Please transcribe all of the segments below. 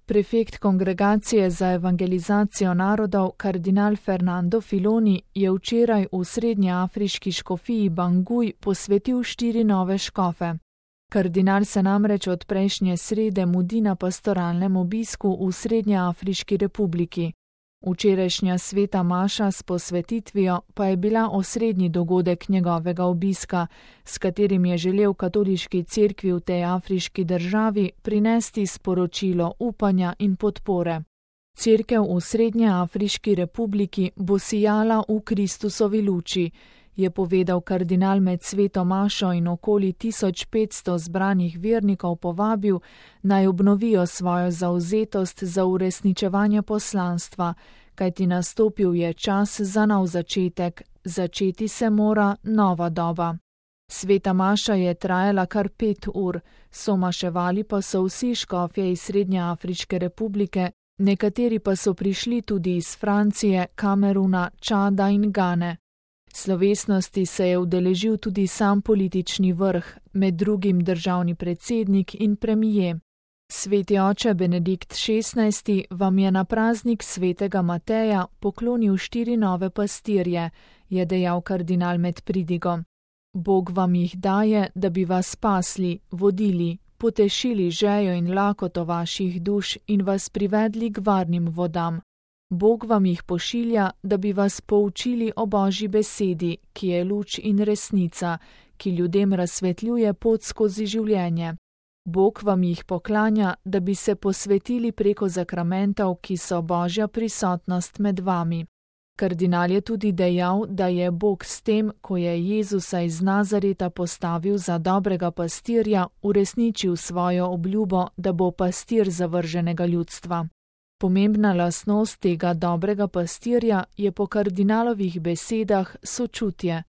Prefekt Kongregacije za evangelizacijo narodov kardinal Fernando Filoni je včeraj v srednjeafriški škofiji Bangui posvetil 4 nove škofe. Kardinal se namreč od prejšnje srede mudi na pastoralnem obisku v Srednjeafriški republiki. Včerajšnja sveta maša s posvetitvijo pa je bila osrednji dogodek njegovega obiska, s katerim je želel katoliški cerkvi v tej afriški državi prinesti sporočilo upanja in podpore. Cerkev v Srednjeafriški republiki bo sijala v Kristusovi luči, je povedal kardinal med sveto mašo in okoli 1500 zbranih vernikov povabil, naj obnovijo svojo zavzetost za uresničevanje poslanstva, kajti nastopil je čas za nov začetek, začeti se mora nova doba. Sveta maša je trajala kar 5 ur, somaševali pa so vsi škofje iz Srednjeafriške republike, nekateri pa so prišli tudi iz Francije, Kameruna, Čada in Gane. Slovesnosti se je udeležil tudi sam politični vrh, med drugim državni predsednik in premijer. Sveti oče Benedikt XVI vam je na praznik svetega Mateja poklonil 4 nove pastirje, je dejal kardinal med pridigom. Bog vam jih daje, da bi vas spasli, vodili, potešili žejo in lakoto vaših duš in vas privedli k varnim vodam. Bog vam jih pošilja, da bi vas poučili o Božji besedi, ki je luč in resnica, ki ljudem razsvetljuje pot skozi življenje. Bog vam jih poklanja, da bi se posvetili preko zakramentov, ki so Božja prisotnost med vami. Kardinal je tudi dejal, da je Bog s tem, ko je Jezusa iz Nazareta postavil za dobrega pastirja, uresničil svojo obljubo, da bo pastir zavrženega ljudstva. Pomembna lastnost tega dobrega pastirja je po kardinalovih besedah sočutje.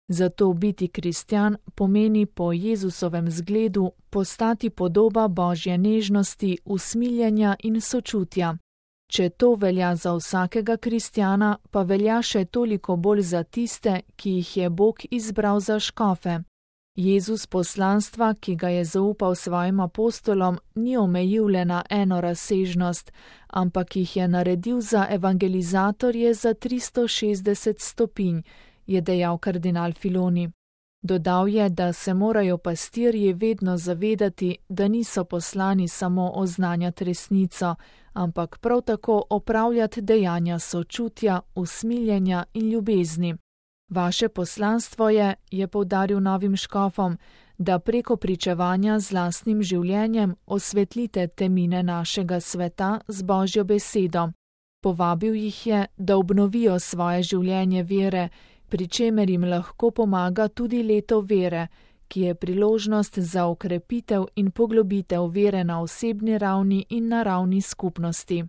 Zato biti kristjan pomeni po Jezusovem zgledu postati podoba Božje nežnosti, usmiljenja in sočutja. Če to velja za vsakega kristjana, pa velja še toliko bolj za tiste, ki jih je Bog izbral za škofe. Jezus poslanstva, ki ga je zaupal svojim apostolom, ni omejil le na eno razsežnost, ampak jih je naredil za evangelizatorje za 360 stopinj, je dejal kardinal Filoni. Dodal je, da se morajo pastirji vedno zavedati, da niso poslani samo oznanjati resnico, ampak prav tako opravljati dejanja sočutja, usmiljenja in ljubezni. Vaše poslanstvo je poudaril novim škofom, da preko pričevanja z lastnim življenjem osvetlite temine našega sveta z Božjo besedo. Povabil jih je, da obnovijo svoje življenje vere, pri čemer jim lahko pomaga tudi leto vere, ki je priložnost za okrepitev in poglobitev vere na osebni ravni in na ravni skupnosti.